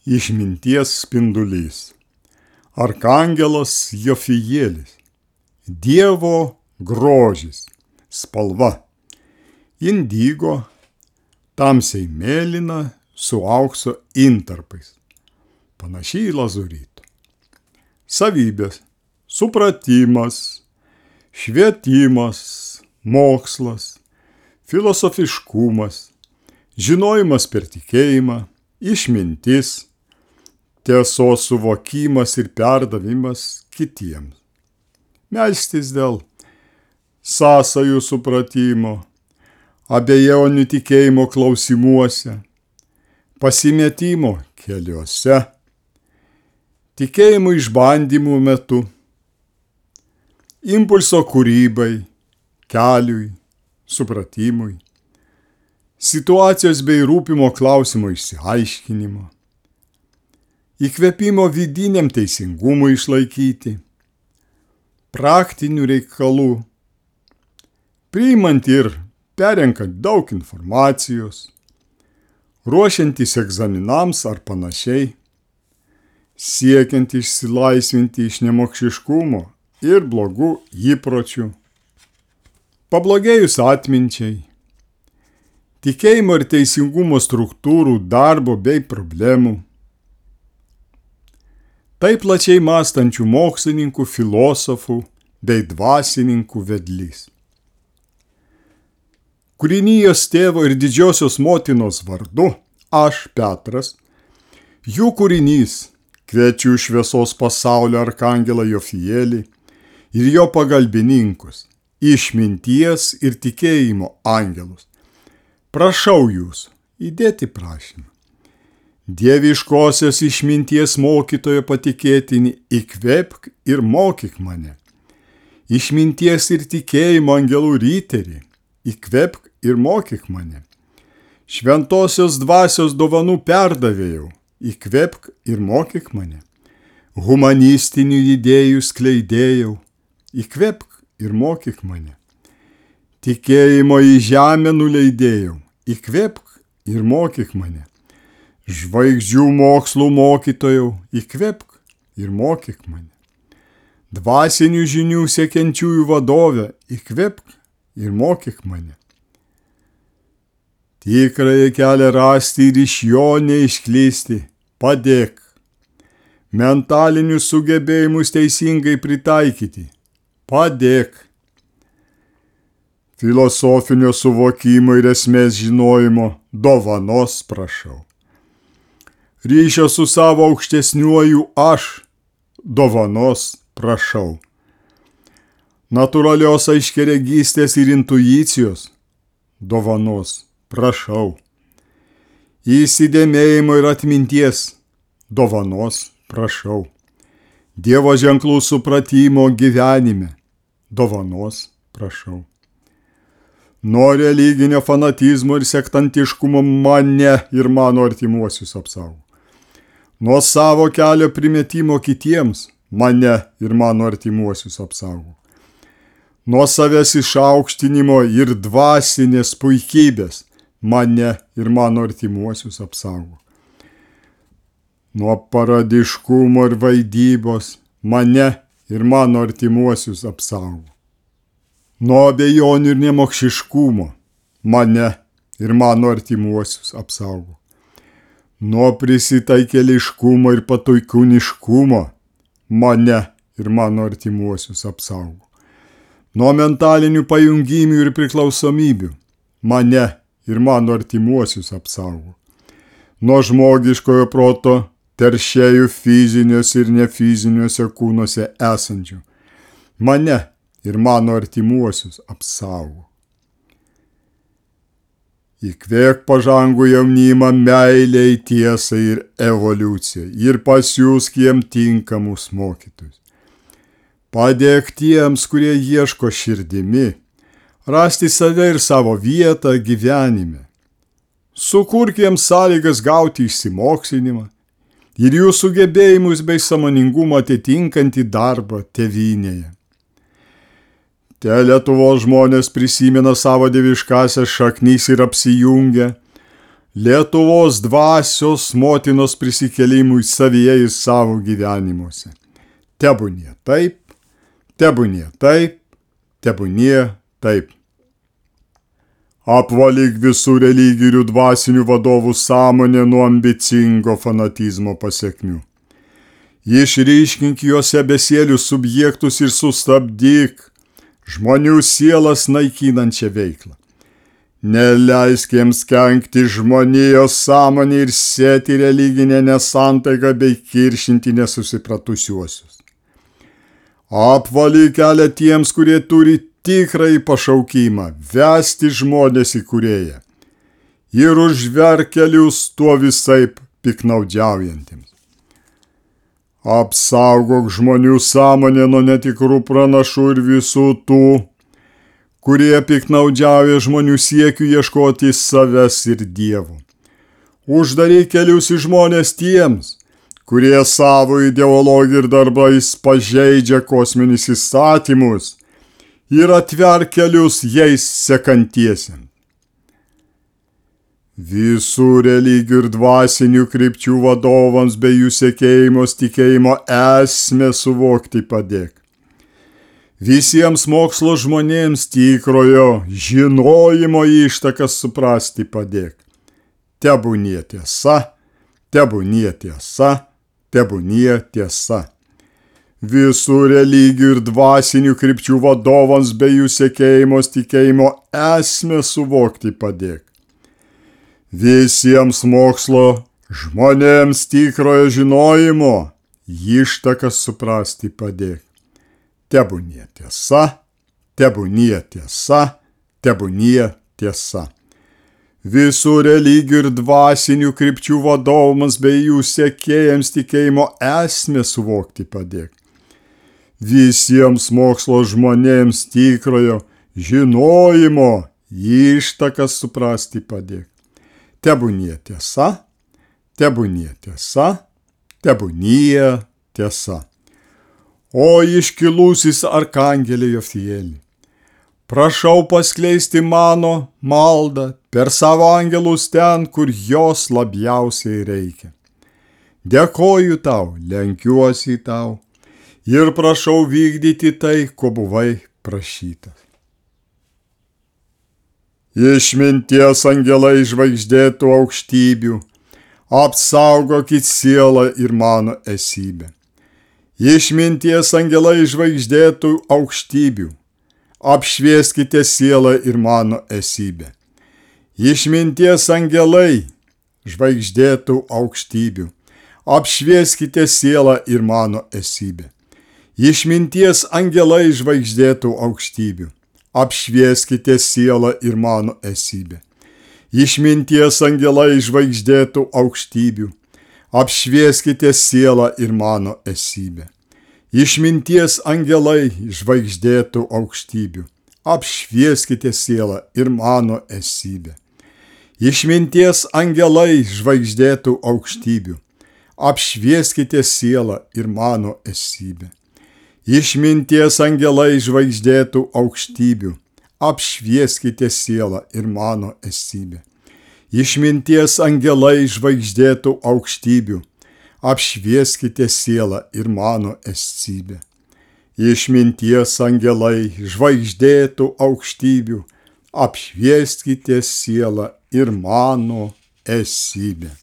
Išminties spindulys. Arkangelas Jofijėlis. Dievo grožis. Spalva. Indigo, tamsiai mėlyna su aukso intarpais. Panašiai į lazurito. Savybės. Supratimas, švietimas, mokslas, filosofiškumas, žinojimas per tikėjimą, išmintis, tiesos suvokimas ir perdavimas kitiems. Melstis dėl sąsajų supratimo, abejonių tikėjimo klausimuose, pasimetimo keliuose, tikėjimo išbandymų metu, impulso kūrybai, keliui, supratimui, situacijos bei rūpimo klausimo išsiaiškinimo, įkvėpimo vidiniam teisingumui išlaikyti, praktinių reikalų, priimant ir perenkant daug informacijos, ruošiantis egzaminams ar panašiai, siekiant išsilaisvinti iš nemokšiškumo ir blogų įpročių, pablogėjus atminčiai, tikėjimo ir teisingumo struktūrų darbo bei problemų, taip plačiai mąstančių mokslininkų, filosofų bei dvasininkų vedlys. Kūrinijos tėvo ir didžiosios motinos vardu, aš, Petras, jų kūrinys, kviečiu šviesos pasaulio arkangelą Jofijėlį ir jo pagalbininkus, išminties ir tikėjimo angelus. Prašau jūsų įdėti prašymą. Dieviškosios išminties mokytojo patikėtinį, įkvėpk ir mokyk mane. Išminties ir tikėjimo angelų ryterį, įkvėpk ir mokyk mane. Šventosios dvasios dovanų perdavėjau, įkvėpk ir mokyk mane. Humanistinių idėjų skleidėjau, įkvėpk ir mokyk mane. Tikėjimo į žemę nuleidėjau, įkvėpk ir mokyk mane. Žvaigždžių mokslų mokytojau, įkvėpk ir mokyk mane. Dvasinių žinių siekiančiųjų vadovę, įkvėpk ir mokyk mane. Tikrąjį kelią rasti ir iš jo neišklysti, padėk. Mentalinius sugebėjimus teisingai pritaikyti, padėk. Filosofinio suvokimo ir esmės žinojimo dovanos prašau. Ryšio su savo aukštesniuoju aš dovanos prašau. Natūralios aiškiaregystės ir intuicijos dovanos prašau. Įsidėmėjimo ir atminties dovanos prašau. Dievo ženklų supratimo gyvenime dovanos prašau. Nuo religinio fanatizmo ir sektantiškumo mane ir mano artimuosius apsaugo. Nuo savo kelio primetimo kitiems mane ir mano artimuosius apsaugo. Nuo savęs išaukštinimo ir dvasinės puikybės mane ir mano artimuosius apsaugo. Nuo paradiškumo ir vaidybos mane ir mano artimuosius apsaugo. Nuo abejonių ir nemokšiškumo mane ir mano artimuosius apsaugo. Nuo prisitaikėliškumo ir patuikūniškumo mane ir mano artimuosius apsaugo. Nuo mentalinių pajungimų ir priklausomybių mane ir mano artimuosius apsaugo. Nuo žmogiškojo proto teršėjų fiziniuose ir nefiziniuose kūnuose esančių mane ir mano artimuosius apsaugo. Įkvėk pažangų jaunimą meiliai, tiesai ir evoliucijai ir pasiųsk jiem tinkamus mokytojus. Padėk tiems, kurie ieško širdimi, rasti save ir savo vietą gyvenime. Sukurk jiems sąlygas gauti išsimokslinimą ir jų sugebėjimus bei sąmoningumą atitinkantį darbą tėvynėje. Te Lietuvos žmonės prisimena savo dieviškąsias šaknis ir apsijungia, Lietuvos dvasios motinos prisikėlimui savyje ir savo gyvenimuose. Tebūnie taip, tebūnie taip, tebūnie taip. Apvalyk visų religijų dvasinių vadovų sąmonę nuo ambicingo fanatizmo pasekmių. Išryškink juose besielius subjektus ir sustabdyk žmonių sielas naikinančią veiklą. Neleisk jiems kenkti žmonijos sąmonę ir sėti religinę nesantaiką bei kiršinti nesusipratusiuosius. Apvalyk kelią tiems, kurie turi tikrąjį pašaukimą vesti žmonės į Kūrėją ir užverk kelius tuo visaip piknaudžiaujantiems. Apsaugok žmonių sąmonę nuo netikrų pranašų ir visų tų, kurie piknaudžiauja žmonių siekiu ieškoti savęs ir Dievo. Uždaryk kelius į žmonės tiems, kurie savo ideologiją ir darbais pažeidžia kosminius įstatymus ir atverk kelius jais sekantiesiems. Visų religijų ir dvasinių krypčių vadovams bei jų sekėjimos tikėjimo esmę suvokti padėk. Visiems mokslo žmonėms tikrojo žinojimo ištakas suprasti padėk. Tebūnie tiesa, tebūnie tiesa, tebūnie tiesa. Visų religijų ir dvasinių krypčių vadovams bei jų sekėjimos tikėjimo esmę suvokti padėk. Visiems mokslo žmonėms tikrojo žinojimo ištakas suprasti padėk. Tebūnie tiesa, tebūnie tiesa, tebūnie tiesa. Visų religijų ir dvasinių krypčių vadovams bei jų sekėjams tikėjimo esmę suvokti padėk. Visiems mokslo žmonėms tikrojo žinojimo ištakas suprasti padėk. Tebūnie tiesa, tebūnie tiesa, tebūnie tiesa. O iškilusis arkangelė Jofieli, prašau paskleisti mano maldą per savo angelus ten, kur jos labiausiai reikia. Dėkoju tau, lenkiuosi tau ir prašau vykdyti tai, ko buvai prašytas. Išminties angelai žvaigždėtų aukštybių, apsaugokit sielą ir mano esybę. Išminties angelai žvaigždėtų aukštybių, apšvieskite sielą ir mano esybę. Išminties angelai žvaigždėtų aukštybių, apšvieskite sielą ir mano esybę. Išminties angelai žvaigždėtų aukštybių, apšvieskite sielą ir mano esybę. Išminties angelai žvaigždėtų aukštybių, apšvieskite sielą ir mano esybę. Išminties angelai žvaigždėtų aukštybių, apšvieskite sielą ir mano esybę. Išminties angelai žvaigždėtų aukštybių, apšvieskite sielą ir mano esybę. Išminties angelai žvaigždėtų aukštybių, apšvieskite sielą ir mano esybę. Išminties angelai žvaigždėtų aukštybių, apšvieskite sielą ir mano esybę. Išminties angelai žvaigždėtų aukštybių, apšvieskite sielą ir mano esybę.